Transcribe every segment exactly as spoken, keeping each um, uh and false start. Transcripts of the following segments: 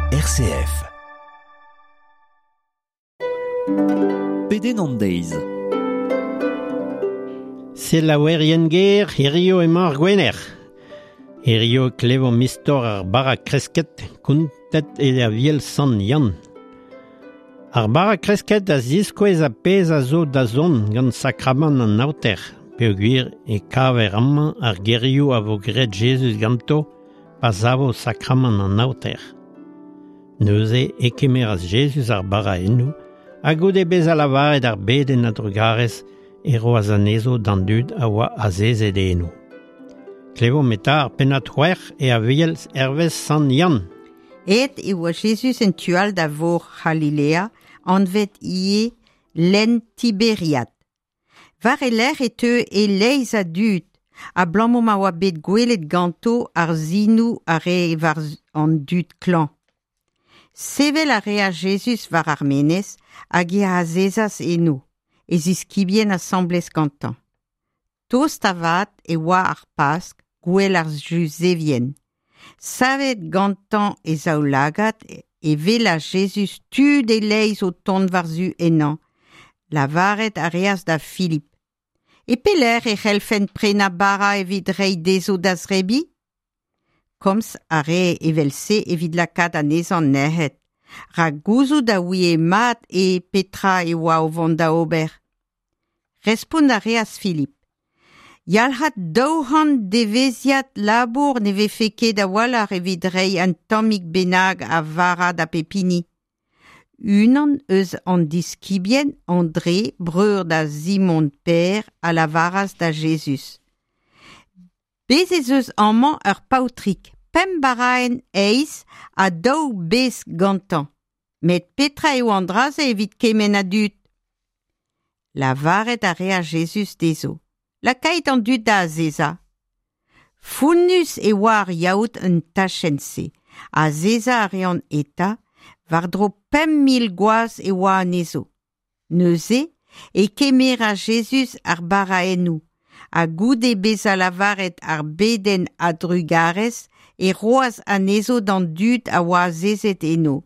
R C F. Pedenn an deiz. Selaouerien ger, hirio emañ ar Gwener. Hirio klevomp istor ar bara kresket, kontet e Aviel Sant Yann. Ar bara kresket a ziskouez a pezh a zo da zont gant sakramant an aoter, peogwir e kaver amañ ar gerioù a vo graet Jezuz ganto pa savo sakramant an aoter. Neuze e kemeras Jezuz ar baraennoù, ha goude bezañ lavaret ar bedenn a drugarez e roas anezho d'an dud a oa azezet eno. Klevomp eta ar pennad c'hwec'h e Aviel hervez Sant Yann. Aet e oa Jezuz en tu all da vor C'halilea, anvet ivez lenn Tiberiad. War e lerc'h e teu e-leizh a dud, abalamour ma oa bet gwelet ganto ar sinoù a rae war an dud klañv. Sevel a reas Jezuz war ar menez hag e azezas eno, e ziskibien asambles gantañ. Tost avat e oa ar Pask, gouel ar Juzevien. Savet gantañ e zaoulagad e welas Jezuz tud e-leizh o tont war-zu ennañ. Lavaret a reas da Filip: E pelec'h e c'hellfent prenañ bara evit reiñ dezho da zebriñ? Komz a rae evel-se evit lakaat anezhañ nec'het, rak gouzout a ouie mat e petra e oa o vont da ober. Respont a reas Filip: Yalc'had daou c'hant devezhiad labour ne vefe ket a-walc'h evit reiñ un tammig bennak a vara da bep hini. Unan eus an diskibien, Andre, breur da Simon Pêr, a lavaras da Jezuz: Bez ez eus amañ ur paotrig, pemp baraenn heiz ha daou besk gantañ. Met petra eo an dra-se evit kement a dud? Lavaret a reas Jezuz dezho: Lakait an dud da azezañ. Founnus e oa ar yaout en tachenn-se. Azezañ a reont eta, war-dro pemp mil gwaz e oa anezho. Neuze e kemeras Jezuz ar baraennoù, ha goude bezañ lavaret ar bedenn a drugarez e roas anezho d'an dud a oa azezet eno.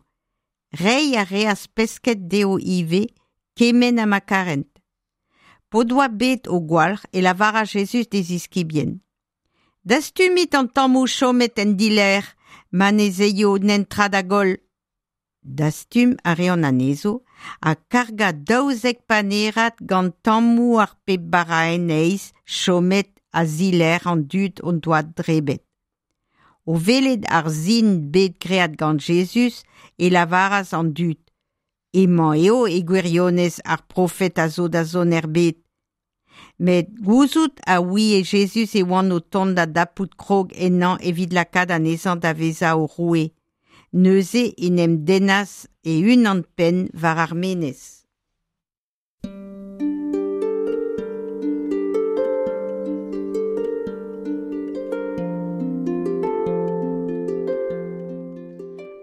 Reiñ a reas pesked dezho ivez, kement ha ma karent. P'o doa bet o gwalc'h e lavaras Jezuz d'e ziskibien: Dastumit an tammoù chomet en dilerc'h, ma ne 'z aio netra da goll. Dastum a reont anezho ha kargañ daouzek panerad gant tammoù ar pemp baraenn heiz chomet a-zilerc'h an dud o doa debret. O welet ar sin bet graet gant Jezuz e lavaras an dud: Hemañ eo e gwirionez ar profed a zo da zont er bed. Met gouzout a ouie Jezuz e oant o tont da dapout krog ennañ evit lakaat anezhañ da vezañ o roue. Neuze en em dennas e-unan-penn war ar menez.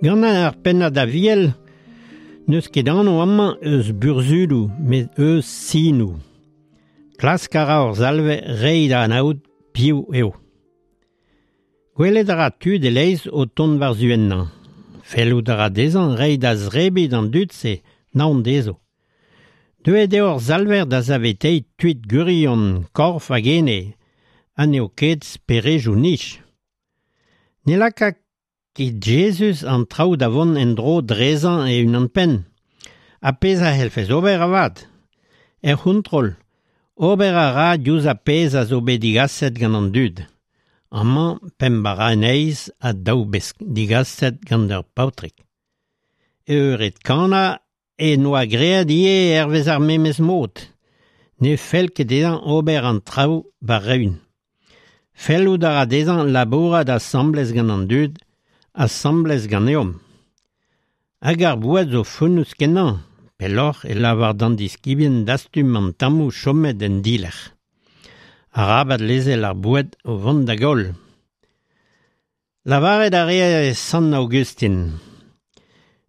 Gant ar pennad Aviel, n'eus ket anv amañ eus burzhudoù, met eus sinoù. Klask a ra hor Salver reiñ da anaout piv eo. Gwelet a ra tud e-leizh o tont war-zu ennañ. Fellout a ra dezhañ reiñ da zebriñ d'an dud-se, naon dezho. Deuet eo hor Salver da saveteiñ tud gwirion, korf hag ene, ha n'eo ket speredoù nij. Ne laka ket Jezuz an traoù da vont en-dro drezañ e-unan-penn. Ha pezh a c'hellfes ober avat. Er c'hontrol, ober a ra diouzh ar pezh a zo bet digaset gant an dud. Amañ pemp baraenn heiz ha daou besk digaset gant ur paotrig. Eured Kana e noa graet ivez hervez ar memes mod. Ne fell ket dezhañ ober an traoù war-eeun. Fellout a ra dezhañ labourat asambles gant an dud, asambles ganeomp. Hag ar boued zo fonnus kenañ, pelloc'h e lavar d'an diskibien dastum an tammoù chomet en dilerc'h. Arabat lezel ar boued o vont da goll. Lavaret a reas Sant Aogustin: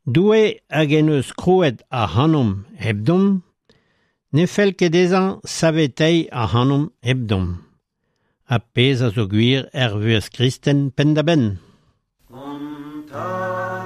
Doue hag en deus krouet ac'hanomp hepdomp, ne fell ket dezhañ saveteiñ ac'hanomp hepdomp. Ha pezh a zo gwir er vuhez kristen penn-da-benn. Kontañ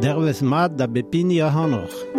Dervez mat da bep hini ac'hanoc'h.